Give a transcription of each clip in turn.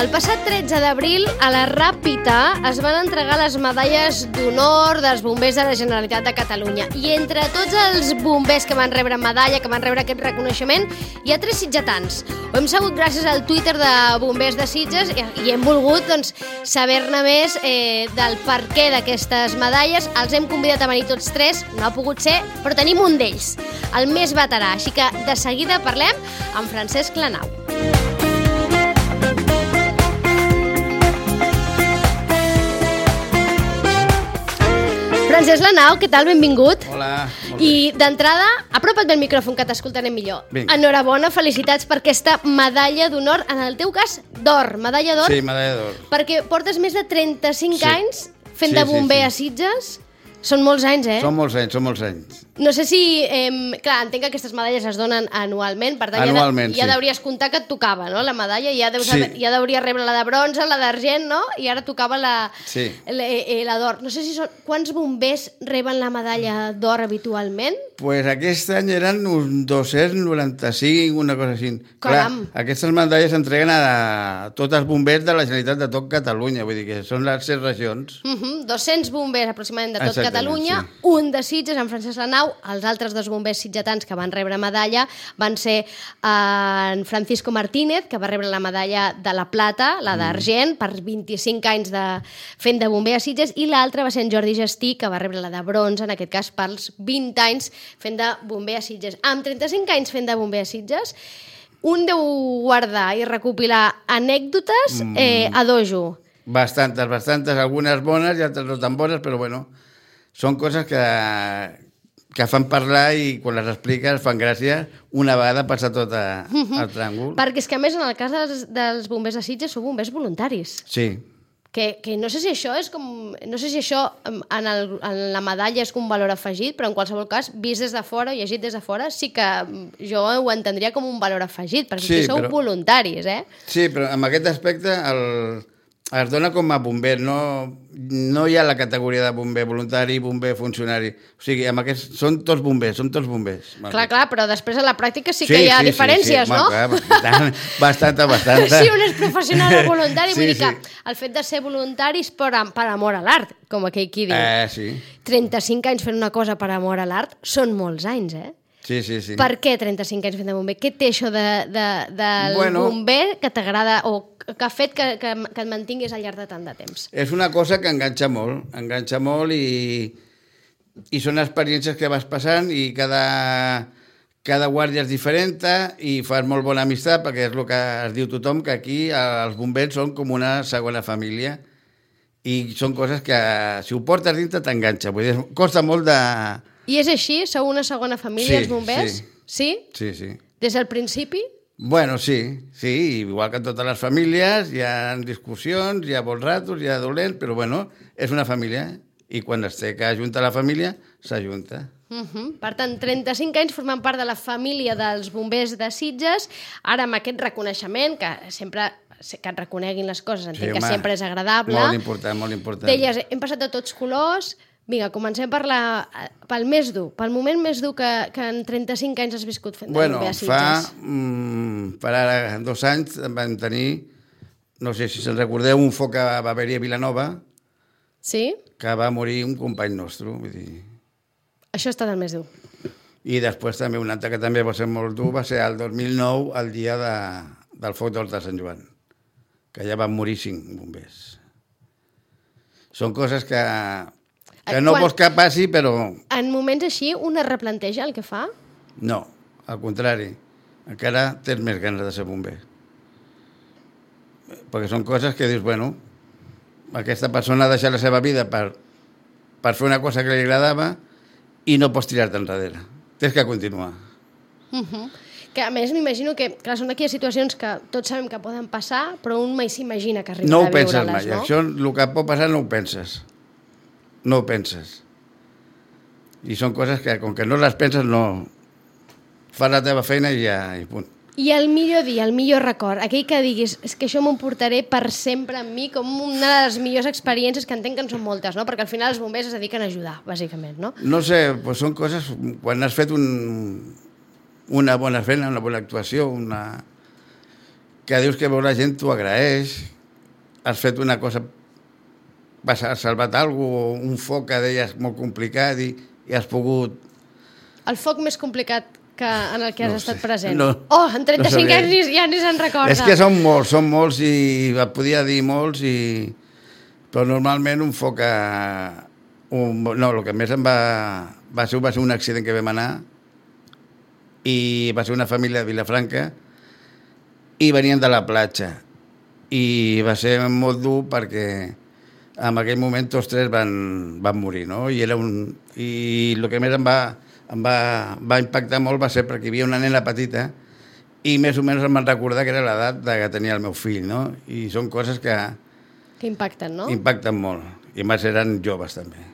El passat 13 d'abril, a la Ràpita, es van entregar les medalles d'honor dels bombers de la Generalitat de Catalunya. I entre tots els bombers que van rebre medalla, que van rebre aquest reconeixement, hi ha 3 sitgetans. Ho hem sabut gràcies al Twitter de Bombers de Sitges i hem volgut saber-ne més del perquè d'aquestes medalles. Els hem convidat a venir tots 3, no ha pogut ser, però tenim un d'ells, el més veterà. Així que de seguida parlem amb Francesc Lanau. Francesc Lanau, què tal? Benvingut. Hola, molt bé. I d'entrada, apropa't del micròfon que t'escoltarem millor. Vinga. Enhorabona, felicitats per aquesta medalla d'honor, en el teu cas, d'or, medalla d'or. Sí, medalla d'or. Perquè portes més de 35 anys fent de Sí, bomber a Sitges. Són molts anys, eh? Són molts anys. No sé si... clar, entenc que aquestes medalles es donen anualment, per tant Anualment, ja sí. deuries comptar que et tocava, no?, la medalla, ja deuries rebre la de bronze, la d'argent, no?, i ara tocava la d'or. No sé si quants bombers reben la medalla d'or habitualment? Pues aquest any eren uns 295, una cosa així. Caram! Clar, aquestes medalles s'entreguen a tots els bombers de la Generalitat de tot Catalunya, vull dir que són les 7 regions. 200 bombers aproximadament de tot Exactament, Catalunya, sí. Un de Sitges, en Francesc Lanau. Els altres 2 bombers sitgetans que van rebre medalla van ser en Francisco Martínez, que va rebre la medalla de la plata, la d'argent, per 25 anys fent de bomber a Sitges, i l'altre va ser en Jordi Gestí, que va rebre la de bronze, en aquest cas pels 20 anys fent de bomber a Sitges. Amb 35 anys fent de bomber a Sitges, un deu guardar i recopilar anècdotes a dojo. Bastantes, algunes bones i altres no tan bones, però bueno, són coses que fan parlar i quan les expliques fan gràcia una vegada passa tot el tràngol. Perquè és que a més en el cas dels bombers de Sitges sou bombers voluntaris. Sí. Que no sé si això és com... No sé si això en la medalla és com un valor afegit, però en qualsevol cas, vist des de fora, llegit des de fora, sí que jo ho entendria com un valor afegit, perquè sí, sou voluntaris, eh? Sí, però en aquest aspecte es dona com a bomber, no hi ha la categoria de bomber voluntari, bomber funcionari. O sigui, són tots bombers. Clar, però després a la pràctica sí que hi ha diferències, no? Clar, bastant. Si un és professional o voluntari, vull dir que el fet de ser voluntaris per amor a l'art, com aquell qui diu. Sí. 35 anys fent una cosa per amor a l'art són molts anys, eh? Sí. Per què 35 anys fent de bomber? Què té això del bomber que t'agrada o que ha fet que et mantinguis al llarg de tant de temps? És una cosa que enganxa molt i són experiències que vas passant i cada guàrdia és diferent i fas molt bona amistat perquè és el que es diu tothom, que aquí els bombers són com una segona família i són coses que si ho portes dintre t'enganxa. Vull dir, costa molt de... I és així? Sou una segona família, els bombers? Sí. Sí. Des del principi? Bueno, sí, igual que en totes les famílies, hi ha discussions, hi ha bons ratos, hi ha dolents, però bueno, és una família, i quan es té que ajuntar la família, s'ajunta. Per tant, 35 anys formant part de la família dels bombers de Sitges, ara amb aquest reconeixement, que sempre que et reconeguin les coses, entenc que sempre és agradable. Molt important. Deies, hem passat de tots colors. Vinga, comencem pel més dur, pel moment més dur que en 35 anys has viscut fent de bomber a Sitges. Per ara 2 anys vam tenir, no sé si se'n recordeu, un foc que va haver-hi a Vilanova, que va morir un company nostre, vull dir... Això ha estat el més dur. I després també un altre que també va ser molt dur, va ser el 2009, el dia del foc d'Horta de Sant Joan, que ja van morir 5 bombers. Són coses que no vols que passi, però... En moments així, un es replanteja el que fa? No, al contrari. Encara tens més ganes de ser bomber. Perquè són coses que dius, bueno, aquesta persona ha deixat la seva vida per fer una cosa que li agradava i no pots tirar-te enrere. Tens que continuar. Que a més m'imagino que, clar, són aquelles situacions que tots sabem que poden passar, però un mai s'imagina que no arribarà a viure-les, no? No ho penses mai. Això, el que pot passar, no ho penses. No ho penses. I són coses que, com que no les penses, no... Fas la teva feina i ja, i punt. I el millor dia, el millor record, aquell que diguis, és que això m'ho portaré per sempre amb mi, com una de les millors experiències, que entenc que en són moltes, no? Perquè al final els bombers es dediquen a ajudar, bàsicament, no? No sé, doncs són coses... Quan has fet una bona feina, una bona actuació, que dius que veus la gent, t'ho agraeix, has fet una cosa, has salvat alguna cosa, un foc que deies molt complicat i has pogut... El foc més complicat en el que has estat present. En 35 no anys ja ni se'n recorda. És que són molts i et podia dir molts, però normalment un foc... el que més em va ser un accident que vam anar i va ser una família de Vilafranca i venien de la platja i va ser molt dur perquè en aquell moment tots tres van morir, no? I el que més em va impactar molt va ser perquè hi havia una nena petita i més o menys em van recordar que era l'edat que tenia el meu fill, no? I són coses que impacten, no? Impacten molt. I més eren joves, també.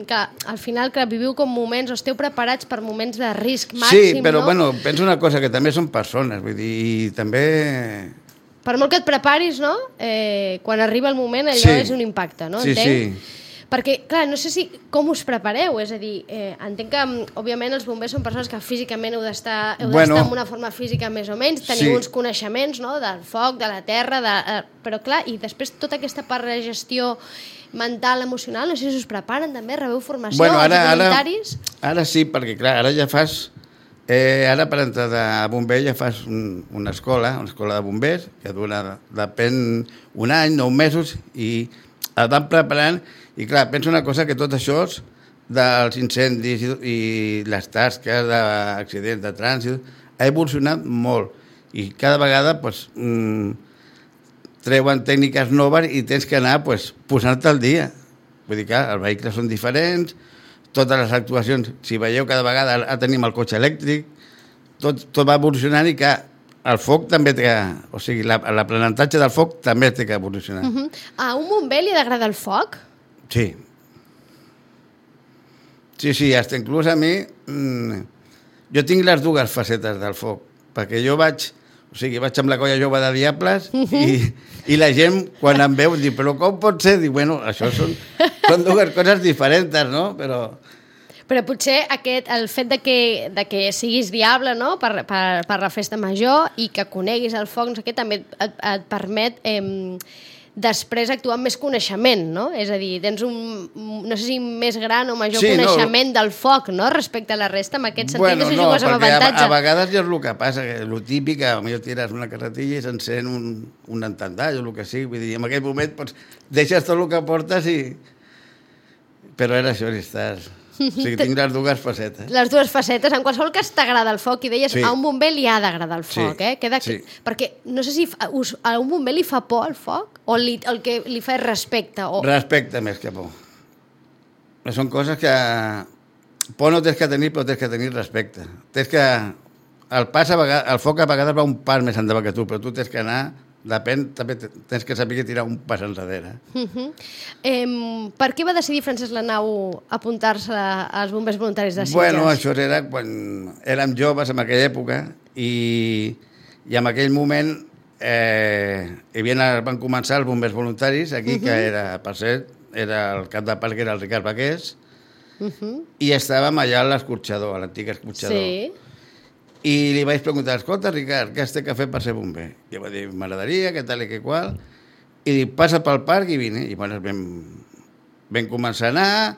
Que al final que viviu com moments, o esteu preparats per moments de risc màxim, sí, però no? bueno, penso una cosa, que també són persones, vull dir, i també... Per molt que et preparis, no? Quan arriba el moment, allò és un impacte, no? Sí, entenc? sí. Perquè, clar, no sé com us prepareu, és a dir, entenc que, òbviament, els bombers són persones que físicament heu d'estar en una forma física més o menys, teniu uns coneixements, no?, del foc, de la terra, però, clar, i després tota aquesta part de gestió mental, emocional, no sé si us preparen també, rebeu formació als voluntaris? Ara sí, perquè, clar, ara ja fas... ara per entrar de bomber ja fas una escola de bombers, que depèn un any, 9 mesos, i et van preparant. I clar, penso una cosa, que tot això dels incendis i les tasques d'accidents de trànsit ha evolucionat molt i cada vegada treuen tècniques noves i tens que anar posant-te al dia. Vull dir que els vehicles són diferents, totes les actuacions, si veieu cada vegada tenim el cotxe elèctric, tot va evolucionant i que el foc també té que... O sigui, l'aprenentatge del foc també té que evolucionar. A un bomber li agrada el foc? Sí. Sí, hasta inclús a mi... jo tinc les dues facetes del foc, perquè jo vaig amb la colla jove de Diables i la gent, quan em veu, diu, però com pot ser? Diu, bueno, això són dues coses diferents, no? Però potser el fet de que siguis diable, no?, per la festa major i que coneguis el foc, no sé què, també et permet després actuar amb més coneixement, no? És a dir, tens no sé si més gran o major coneixement del foc, no?, respecte a la resta, en aquest sentit, no sé si jugues amb avantatge. A vegades ja és el que passa, que el típic, potser tires una carretilla i s'encén un entendall o el que sigui, vull dir, en aquell moment deixes tot el que portes i... Però era això, estàs... O sigui, tinc les dues facetes. Les dues facetes. En qualsevol cas t'agrada el foc i deies, a un bomber li ha d'agradar el foc, Sí. Perquè no sé si a un bomber li fa por el foc o el que li fa és respecte. Respecte més que por. Són coses que... Por no tens que tenir, però tens que tenir respecte. Tens que... El foc a vegades va un pas més endavant que tu, però tu tens que anar... Depèn, també tens que saber tirar un pas enrere. Per què va decidir Francesc Lanau apuntar-se als bombers voluntaris de Sitges? Bueno, això era quan érem joves en aquella època i en aquell moment van començar els bombers voluntaris aquí, que era, per cert, era el cap de parc, que era el Ricard Baqués, i estàvem allà a l'escorxador, a l'antic escorxador. Sí. I li vaig preguntar, escolta, Ricard, què has de fer per ser bomber? I va dir, m'agradaria, què tal i què qual. I dic, passa pel parc i vine. I bueno, vam començar a anar,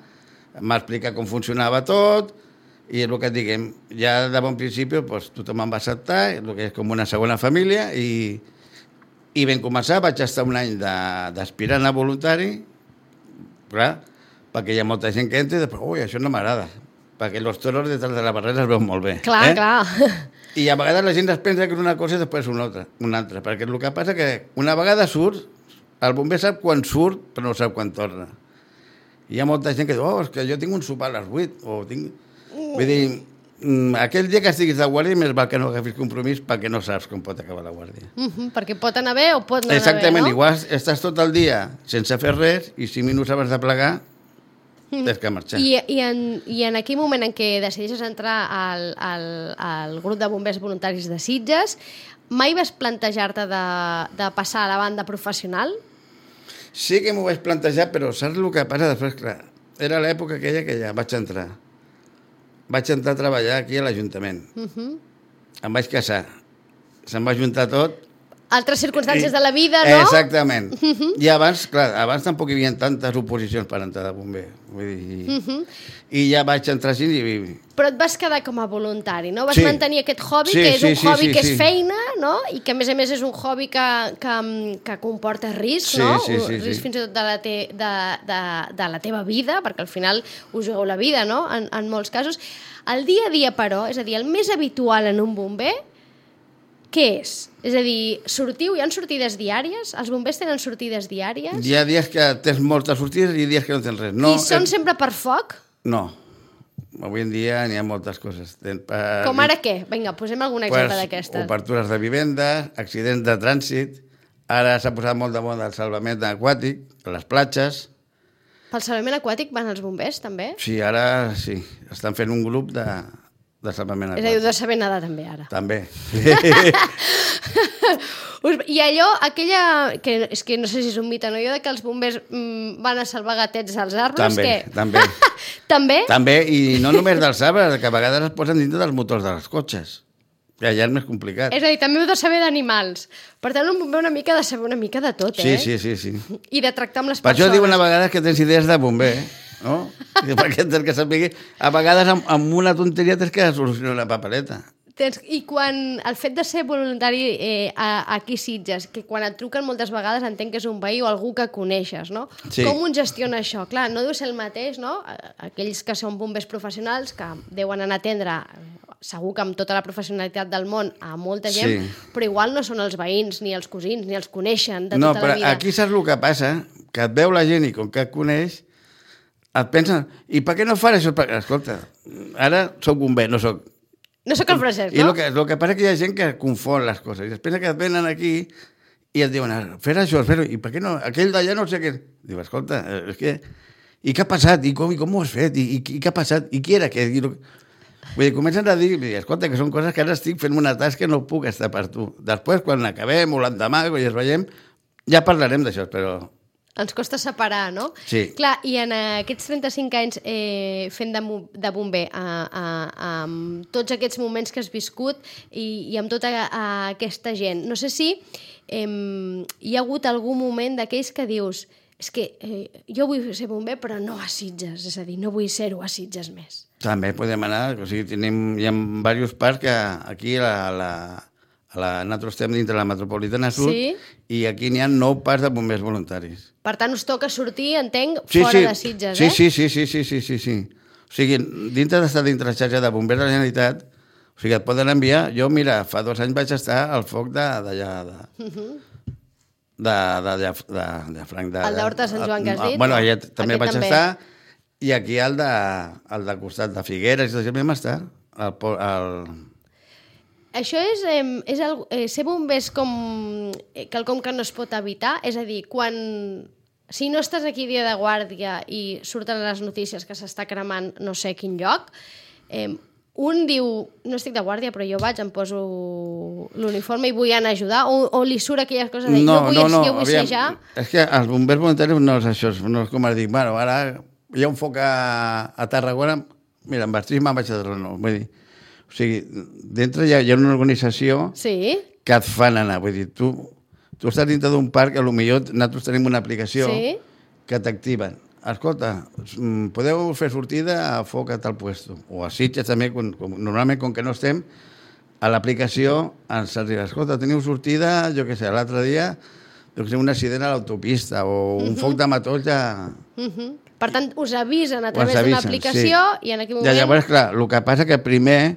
m'explica com funcionava tot, i és el que et diguem, ja de bon principi tothom em va acceptar, el que és com una segona família, i vam començar, vaig estar un any d'aspirant a voluntari, clar, perquè hi ha molta gent que entra i després, ui, això no m'agrada, perquè els toros detrás de la barrera es veuen molt bé. Clar, clar. I a vegades la gent es pensa que és una cosa i després una altra, perquè el que passa que una vegada surt, el bomber sap quan surt, però no sap quan torna. I hi ha molta gent que diu, és que jo tinc un sopar a les 8, o tinc... Vull dir, aquell dia que estiguis de guàrdia, més val que no agafis compromís perquè no saps com pot acabar la guàrdia. Perquè pot anar bé o pot no anar bé, no? Exactament, igual estàs tot el dia sense fer res i 5 minuts abans de plegar tens que marxar. I en aquell moment en què decideixes entrar al grup de bombers voluntaris de Sitges, mai vas plantejar-te de passar a la banda professional? Sí que m'ho vaig plantejar, però saps el que passa després? Clar, era l'època aquella que ja vaig entrar. Vaig entrar a treballar aquí a l'Ajuntament. Em vaig casar. Se'm va juntar tot altres circumstàncies de la vida, no? Exactament. I abans, clar, abans tampoc hi havia tantes oposicions per entrar de bomber. Vull dir, i ja vaig entrar així i... Però et vas quedar com a voluntari, no? Vas Sí. mantenir aquest hobby, Sí, que és un sí, hobby sí, que és sí. feina, no? I que, a més és un hobby que comporta risc, Sí, no? sí, sí, Risc sí. fins i tot de la teva vida, perquè al final us jugueu la vida, no? En molts casos. El dia a dia, però, és a dir, el més habitual en un bomber, què és? És a dir, hi ha sortides diàries? Els bombers tenen sortides diàries? Hi ha dies que tens moltes sortides i dies que no tens res. No, I són sempre per foc? No. Avui en dia n'hi ha moltes coses. Com ara què? Vinga, posem algun exemple d'aquestes. Obertures de vivendes, accidents de trànsit. Ara s'ha posat molt de moda el salvament aquàtic, a les platges. Pel salvament aquàtic van els bombers, també? Sí, ara sí. Estan fent un grup de salvament És a dir, aquàtic. de saber nedar també, ara. També. I allò, que és que no sé si és un mite o no, allò de que els bombers van a salvar gatets als arbres, També, què? també. També? També, i no només dels arbres, que a vegades es posen dintre dels motors dels cotxes. Que allà és més complicat. És a dir, també heu de saber d'animals. Per tant, un bomber una mica ha de saber una mica de tot, Sí, eh? sí. I de tractar amb les Per això persones. diuen a vegades que tens idees de bomber, no? Perquè tens que saber... A vegades amb una tonteria tens que solucionar una papereta. I quan el fet de ser voluntari aquí a Sitges, que quan et truquen moltes vegades entenc que és un veí o algú que coneixes, no? Sí. Com un gestiona això? Clar, no deu ser el mateix, no? Aquells que són bombers professionals, que deuen anar a atendre segur que amb tota la professionalitat del món a molta gent, Sí. però igual no són els veïns, ni els cosins, ni els coneixen de No, tota però la vida. aquí saps el que passa? Que et veu la gent i com que et coneix, et pensa, i per què no fan això? Escolta, ara soc bomber, no soc... No sóc el Francesc, I no? el que passa és que hi ha gent que confon les coses. I després que et venen aquí i et diuen, fer això, fer-ho, i per què no? Aquell d'allà no sé què... Diu, escolta, és que... I què ha passat? I com ho has fet? I què ha passat? I qui era aquest? Vull dir, comencen a dir, escolta, que són coses que ara estic fent una tasca que no puc estar per tu. Després, quan acabem o l'endemà, quan ja es veiem, ja parlarem d'això, però... Ens costa separar, no? Sí. Clar, i en aquests 35 anys fent de bomber, amb tots aquests moments que has viscut i amb tota aquesta gent, no sé si hi ha hagut algun moment d'aquells que dius és que jo vull ser bomber però no a Sitges, és a dir, no vull ser-ho a Sitges més. També podem anar, o sigui, hi ha diversos parcs que aquí nosaltres estem dintre la metropolitana sud Sí. i aquí n'hi ha 9 parcs de bombers voluntaris. Per tant, us toca sortir, entenc, fora de Sitges, eh? Sí. O sigui, dintre d'estar dintre la xarxa de bombers de la Generalitat, o sigui, et poden enviar... Jo, mira, fa 2 anys vaig estar al foc d'allà, de Franc... El d'Horta de Sant Joan que has dit? Bueno, allà també Aquest vaig també. estar, i aquí al de costat de Figueres, i tot això vam estar, Això ser bomber és com quelcom que no es pot evitar? És a dir, si no estàs aquí dia de guàrdia i surten les notícies que s'està cremant no sé quin lloc, un diu, no estic de guàrdia, però jo vaig, em poso l'uniforme i vull anar a ajudar, o li surt aquelles coses de jo vull sejar. És que els bombers voluntaris no és això, no és com ara dic, bueno, ara hi ha un foc a Tarragona, mira, em vestim, me'n vaig a Tarragona, vull dir, o sigui, dintre hi ha una organització Sí, que et fan anar, vull dir, tu estàs dintre d'un parc, a lo millor nosaltres tenim una aplicació Sí. que t'activen. Escolta, podeu fer sortida a foc a tal puesto. O a Sitges també, normalment com que no estem, a l'aplicació ens arriba, escolta, teniu sortida, jo què sé, l'altre dia, un accident a l'autopista o un foc de matoll ja... Per tant, us avisen a través d'una aplicació i en aquell moment... Ja, llavors, clar, el que passa que primer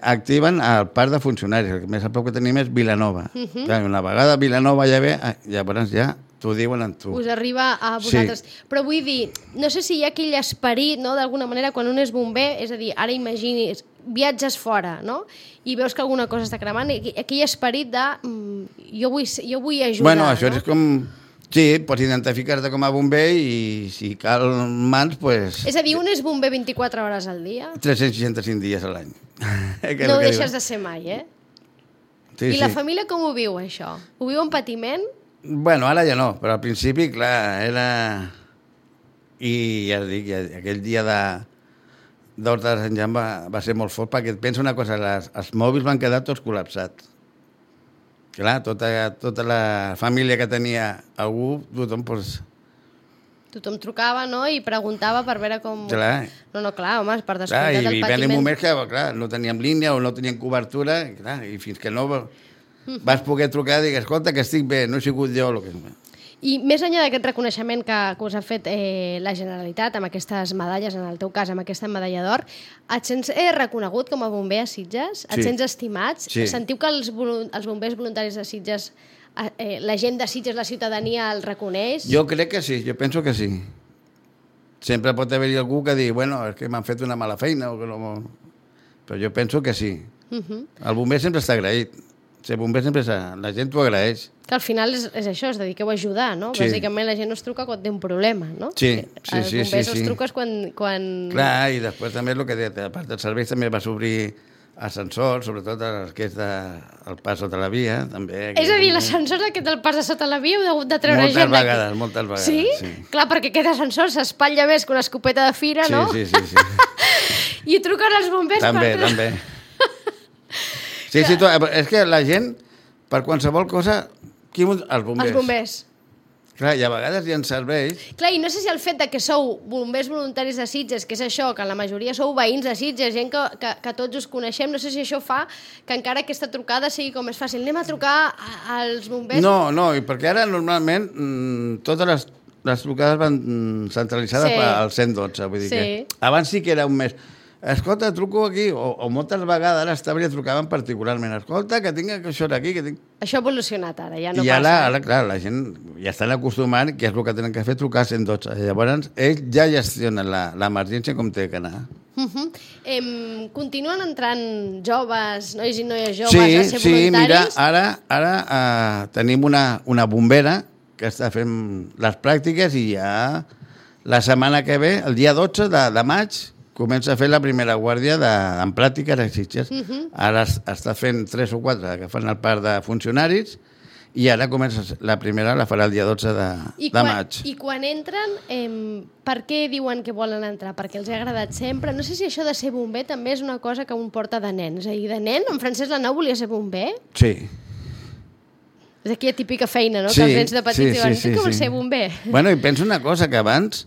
activen el parc de funcionaris, el més a prop que tenim és Vilanova. Clar, una vegada Vilanova ja ve, llavors ja t'ho diuen amb tu. Us arriba a vosaltres. Sí. Però vull dir, no sé si hi ha aquell esperit, no?, d'alguna manera, quan un és bomber, és a dir, ara imaginis, viatges fora, no?, i veus que alguna cosa està cremant, i aquell esperit de jo vull ajudar. Bueno, això no? és com... Sí, pots identificar-te com a bomber i si cal mans, pues... És a dir, un és bomber 24 hores al dia? 365 dies a l'any. No ho deixes de ser mai, eh? Sí, I la família com ho viu, això? Ho viu amb patiment? Bueno, ara ja no, però al principi, clar, era... I ja et dic, aquell dia d'Horta de Sant Joan va ser molt fort, perquè et pensa una cosa, els mòbils van quedar tots col·lapsats. Clar, tota la família que tenia algú, tothom, doncs... Tothom trucava, no?, i preguntava per veure com... Clar. No, clar, home, per Clar, descomptat el i patiment. van moments que, clar, no teníem línia o no teníem cobertura, i, clar, i fins que no vas poder trucar i dir, escolta, que estic bé, no he sigut jo... I més enllà d'aquest reconeixement que us ha fet la Generalitat amb aquestes medalles, en el teu cas, amb aquesta medalla d'or, et sents reconegut com a bomber a Sitges? Et sents estimat? Sí. Sentiu que els bombers voluntaris de Sitges, la gent de Sitges, la ciutadania, el reconeix? Jo crec que sí, jo penso que sí. Sempre pot haver-hi algú que digui, bueno, és que m'han fet una mala feina, o que no... Però jo penso que sí. El bomber sempre està agraït. Ser bomber sempre la gent t'ho agraeix. Que al final és això, es dediqueu a ajudar, no? Sí. Bàsicament la gent us truca quan té un problema, no? Sí. Els bombers els truques quan... Clar, i després també el que deia, a part dels serveis també vas obrir ascensors, sobretot el que és el pas sota la via, també. És a dir, l'ascensor aquest del pas de sota la via heu hagut de treure gent d'aquí. Moltes vegades. Sí? Clar, perquè aquest ascensor s'espatlla més que una escopeta de fira, no? Sí. I truquen els bombers també. Sí, és que la gent, per qualsevol cosa, els bombers. Els bombers. Clar, i a vegades hi ha serveis... Clar, i no sé si el fet de que sou bombers voluntaris de Sitges, que és això, que la majoria sou veïns de Sitges, gent que tots us coneixem, no sé si això fa que encara aquesta trucada sigui com més fàcil. Anem a trucar als bombers? No, i perquè ara normalment totes les trucades van centralitzades al 112, vull dir que abans sí que era un mes... Escolta, truco aquí, o moltes vegades a l'estable trucaven particularment. Escolta, que tinc això d'aquí, que tinc... Això ha evolucionat ara, ja no passa. I ara, clar, la gent ja estan acostumant, que és el que tenen que fer, trucar a 112. Llavors, ells ja gestionen l'emergència com té que anar. Continuen entrant joves, nois i noies joves, a ser voluntaris? Sí, mira, ara tenim una bombera que està fent les pràctiques i ja la setmana que ve, el dia 12 de maig, comença a fer la primera guàrdia en pràctica a Sitges. Ara està fent 3 o 4 que fan el part de funcionaris i ara comença la primera, la farà el dia 12 de maig. I quan entren, per què diuen que volen entrar? Perquè els ha agradat sempre? No sé si això de ser bomber també és una cosa que un porta de nen. És a dir, de nen, en Francesc Lanau volia ser bomber? Sí. És aquella típica feina, no? Que els nens de petits diuen, sí que vols ser bomber? Bueno, i penso una cosa, que abans...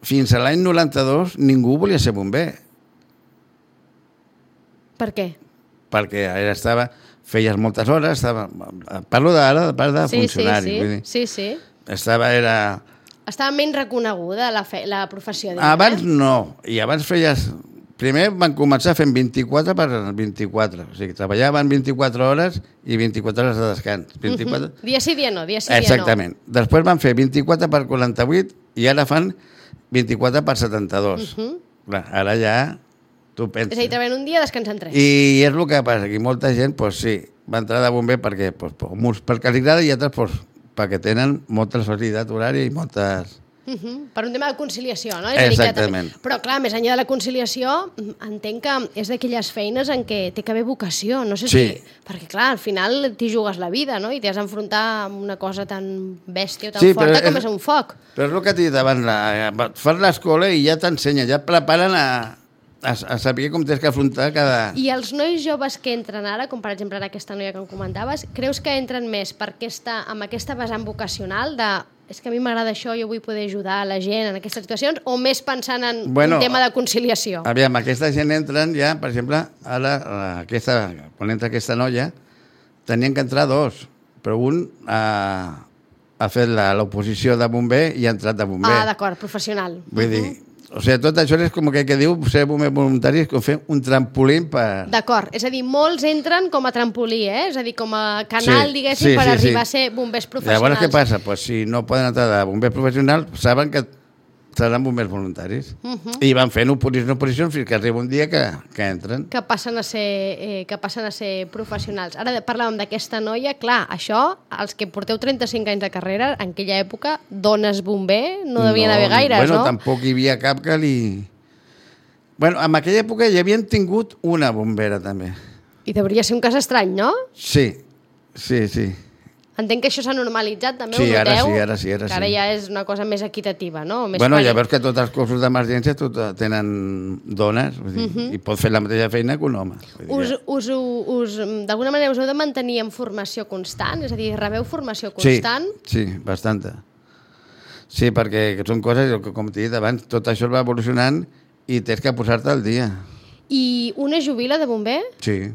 Fins a l'any 92 ningú volia ser bomber. Per què? Perquè feies moltes hores, parlo d'ara de part de funcionari. Sí. Estava menys reconeguda la professió. Abans no, i abans feies... Primer van començar fent 24 per 24, o sigui, treballaven 24 hores i 24 hores de descans. 24... Dia sí, dia no, Exactament. Després van fer 24 per 48 i ara fan 24 per 72. Clar, ara ja tu penses. És a dir, treballen un dia, descansen 3. I és el que passa, que molta gent, doncs sí, va entrar de bomber perquè, perquè li agrada i altres perquè tenen molta facilitat horària i moltes... Per un tema de conciliació, no? Exactament. Però clar, més enllà de la conciliació, entenc que és d'aquelles feines en què té que haver vocació, no sé si... Perquè clar, al final t'hi jugues la vida, no? I t'has d'enfrontar amb una cosa tan bèstia o tan forta com és un foc. Però és el que t'he dit abans, fan l'escola i ja t'ensenyen, ja et preparen a saber com tens que afrontar cada... I els nois joves que entren ara, com per exemple aquesta noia que em comentaves, creus que entren més amb aquesta vessant vocacional de... És que a mi m'agrada això, jo vull poder ajudar la gent en aquestes situacions, o més pensant en un tema de conciliació? Aviam, aquesta gent entren ja, per exemple, ara, quan entra aquesta noia, tenien que entrar 2, però un ha fet l'oposició de bomber i ha entrat de bomber. D'acord, professional. Vull dir, o sigui, tot això és com que diu ser bomber voluntari, és com fer un trampolín per... D'acord, és a dir, molts entren com a trampolí, és a dir, com a canal, diguéssim, per arribar a ser bombers professionals. Llavors, què passa? Pues, si no poden entrar de bombers professionals, saben que seran bombers voluntaris. I van fent oposició fins que arriba un dia que entren. Que passen a ser professionals. Ara parlàvem d'aquesta noia, clar, això, els que porteu 35 anys de carrera, en aquella època, dones bomber no devien haver gaires, no? Bueno, tampoc hi havia cap que li... Bueno, en aquella època hi havien tingut una bombera, també. I devia ser un cas estrany, no? Sí. Entenc que això s'ha normalitzat, també Sí, ho ara noteu? sí, ara sí, ara Que ara sí. ja és una cosa més equitativa, no? Més Bueno, ja veus que tots els cossos d'emergència tenen dones, vull dir, i pot fer la mateixa feina que un home. Vull dir D'alguna manera us heu de mantenir en formació constant? És a dir, rebeu formació Sí, constant? sí, bastanta. Sí, perquè són coses, com t'he dit abans, tot això va evolucionant i tens que posar-te al dia. I una jubila de bomber? Sí.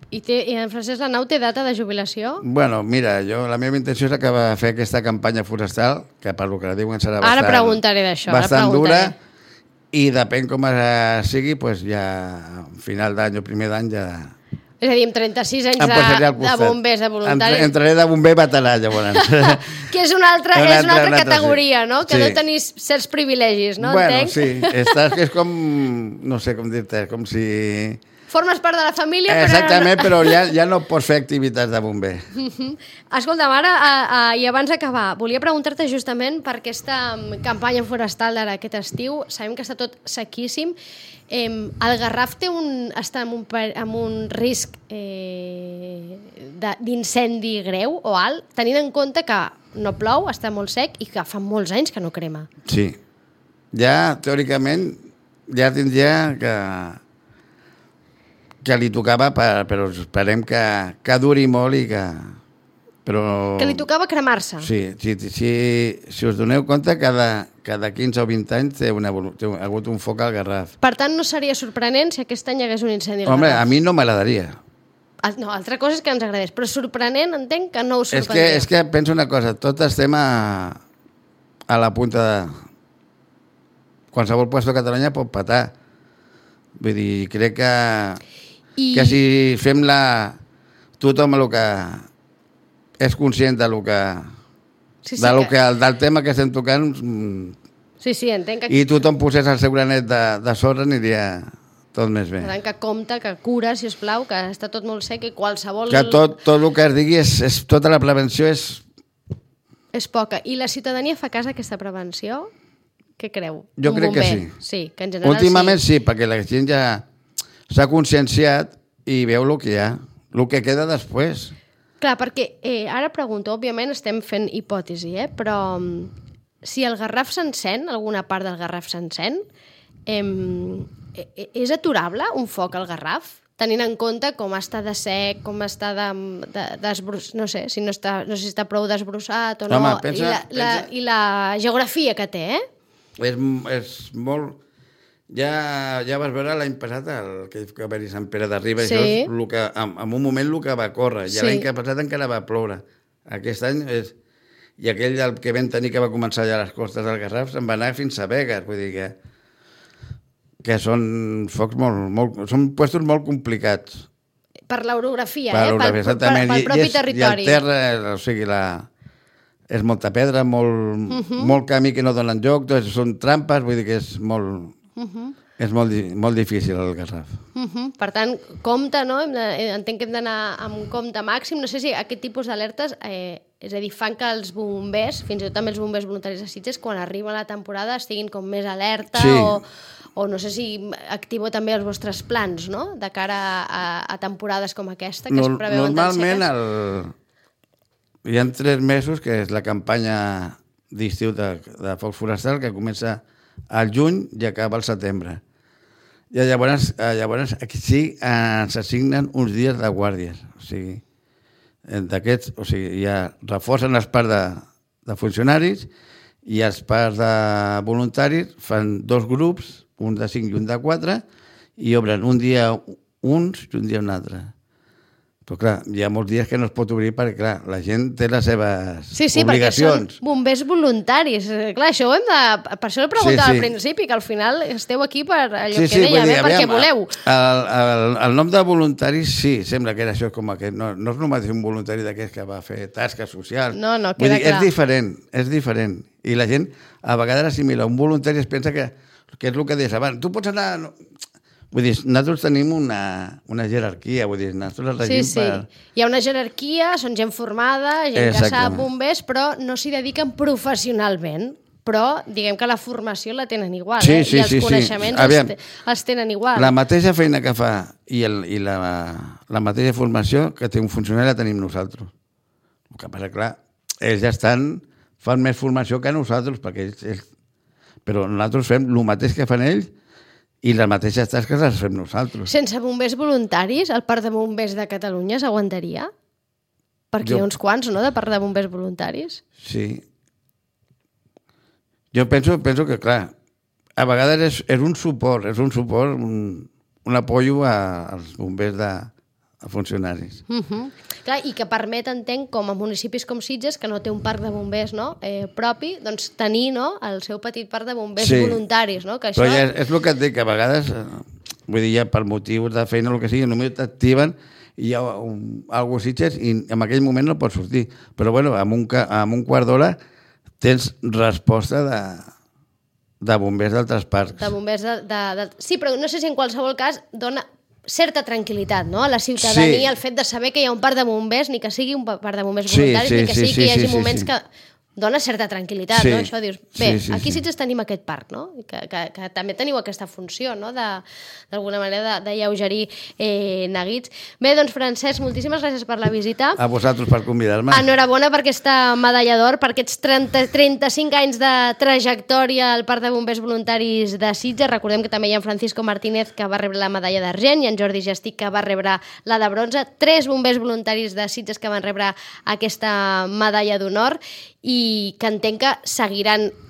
I en Francesc Lanau té data de jubilació? Bueno, mira, la meva intenció és acabar de fer aquesta campanya forestal, que per lo que la diuen serà Ara preguntaré d'això. bastant dura, i depèn com sigui, pues ja a final d'any o primer d'any ja... És a dir, amb 36 anys em posaré al de costat. bombers, de voluntaris... Entraré de bomber veterà, llavors. Que és una altra categoria, sí. no? Que deu tenir certs privilegis, no? Bueno, Entenc? sí, és com... No sé com dir-te, com si... Formes part de la família, però... Exactament, però ja no pots fer activitats de bomber. Escolta'm, ara, i abans d'acabar, volia preguntar-te justament per aquesta campanya forestal d'ara aquest estiu. Sabem que està tot sequíssim. El Garraf està en un risc d'incendi greu o alt, tenint en compte que no plou, està molt sec i que fa molts anys que no crema. Sí. Ja, teòricament, ja tindria que li tocava, però esperem que duri molt i que... Però... Que li tocava cremar-se. Sí, si us doneu compte, cada 15 o 20 anys ha hagut un foc al Garraf. Per tant, no seria sorprenent si aquest any hi hagués un incendi al Home, Garraf. a mi no m'agradaria. No, altra cosa és que ens agradés, però sorprenent entenc que no us sorprendria. És que penso una cosa, tots estem a la punta de... Qualsevol puesto de Catalunya pot patar. Vull dir, crec que si fem tothom el que és conscient del tema que estem tocant Sí, entenc que... i tothom posés el seu granet de sorra aniria tot més bé. Per tant, que compta, que cura, si us plau, que està tot molt sec i qualsevol... Que tot el que es digui, tota la prevenció és... És poca. I la ciutadania fa cas a aquesta prevenció? Què creu? Jo crec que sí. Sí, que en general últimament sí, perquè la gent ja s'ha conscienciat i veu el que hi ha, el que queda després. Clar, perquè ara pregunto, òbviament estem fent hipòtesi, però si el Garraf s'encén, alguna part del Garraf s'encén, és aturable un foc al Garraf? Tenint en compte com està de sec, com està desbrossat, no sé si està prou desbrossat o no, home, pensa... i la geografia que té, És molt... Ja vas veure l'any passat que va haver-hi Sant Pere de Riba, sí. Això és en un moment el que va córrer, i l'any que passat encara va ploure. Aquest any i aquell que vam tenir que va començar ja a les costes del Garraf se'n va anar fins a Begues, vull dir que són focs són puestos molt complicats. Per l'orografia, pel propi territori. I el terra, o sigui, és molta pedra, molt camí que no donen joc, són trampes, vull dir que és molt... És molt difícil el Garraf. Per tant, compte, no? Entenc que hem d'anar amb compte màxim. No sé si aquest tipus d'alertes, és a dir, fan que els bombers, fins i tot també els bombers voluntaris de Sitges, quan arriba la temporada estiguin com més alerta sí. o no sé si activeu també els vostres plans, no? De cara a temporades com aquesta, que es preveuen tan seques. Normalment hi ha 3 mesos, que és la campanya d'estiu de foc forestal, que comença al juny i acaba al setembre. I llavors aquí sí ens assignen uns dies de guàrdies. O sigui, d'aquests, ja reforcen els parts de funcionaris i els parts de voluntaris fan 2 grups, un de 5 i un de 4, i obren un dia uns i un dia un altre. Però clar, hi ha molts dies que no es pot obrir perquè, clar, la gent té les seves obligacions. Perquè són bombers voluntaris. Clar, això ho hem de... Per això ho preguntava al principi, que al final esteu aquí per allò que deia, perquè voleu. El nom de voluntaris, sí, sembla que era això com aquest. No és només un voluntari d'aquests que va fer tasques socials. No, queda clar. És diferent. I la gent a vegades assimila. Un voluntari es pensa que és el que deies abans. Tu pots anar... Vull dir, nosaltres tenim una jerarquia, vull dir, nosaltres regim per... Hi ha una jerarquia, són gent formada, gent que sap bombers, però no s'hi dediquen professionalment. Però diguem que la formació la tenen igual, i els coneixements els tenen igual. La mateixa feina que fa i la mateixa formació que té un funcionari la tenim nosaltres. que passa, clar, ells ja fan més formació que nosaltres, perquè ells... Però nosaltres fem el mateix que fan ells i les mateixes tasques les fem nosaltres. Sense bombers voluntaris, el Parc de Bombers de Catalunya s'aguantaria? Perquè hi ha uns quants, no?, de Parc de Bombers voluntaris. Sí. Jo penso que, clar, a vegades és un suport, un apoyo als bombers a funcionaris. Clar, i que permet, entenc, com a municipis com Sitges, que no té un parc de bombers propi, doncs tenir el seu petit parc de bombers voluntaris. No? Que això... Però ja és el que et dic, que a vegades, vull dir, ja per motius de feina o el que sigui, només t'activen i hi ha algú a Sitges i en aquell moment no pots sortir. Però bueno, en un quart d'hora tens resposta de bombers d'altres parcs. De bombers Sí, però no sé si en qualsevol cas dona certa tranquil·litat, no?, a la ciutadania, el fet de saber que hi ha un parc de bombers, ni que sigui un parc de bombers voluntaris, ni que sigui que hi hagi moments que dona certa tranquil·litat, no? Això dius, bé, aquí sí tenim aquest parc, no? Que també teniu aquesta funció, no?, d'alguna manera d'alleugerir neguits. Bé, doncs, Francesc, moltíssimes gràcies per la visita. A vosaltres per convidar-me. Enhorabona per aquesta medalla d'or, per aquests 35 anys de trajectòria al Parc de Bombers Voluntaris de Sitges. Recordem que també hi ha en Francisco Martínez, que va rebre la medalla d'argent, i en Jordi Gestic, que va rebre la de bronze. 3 bombers voluntaris de Sitges que van rebre aquesta medalla d'honor, i que entenc que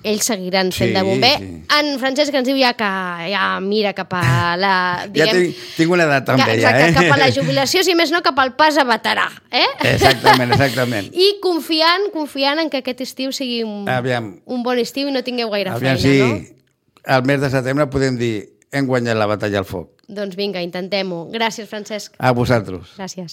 ells seguiran fent de bomber. En Francesc ens diu ja que mira cap a la... Diguem, ja tinc una edat també, exacte, cap a la jubilació, si més no, cap al pas a veterà. Exactament. I confiant en que aquest estiu sigui un bon estiu i no tingueu gaire feina, no? Si al mes de setembre podem dir hem guanyat la batalla al foc. Doncs vinga, intentem-ho. Gràcies, Francesc. A vosaltres. Gràcies.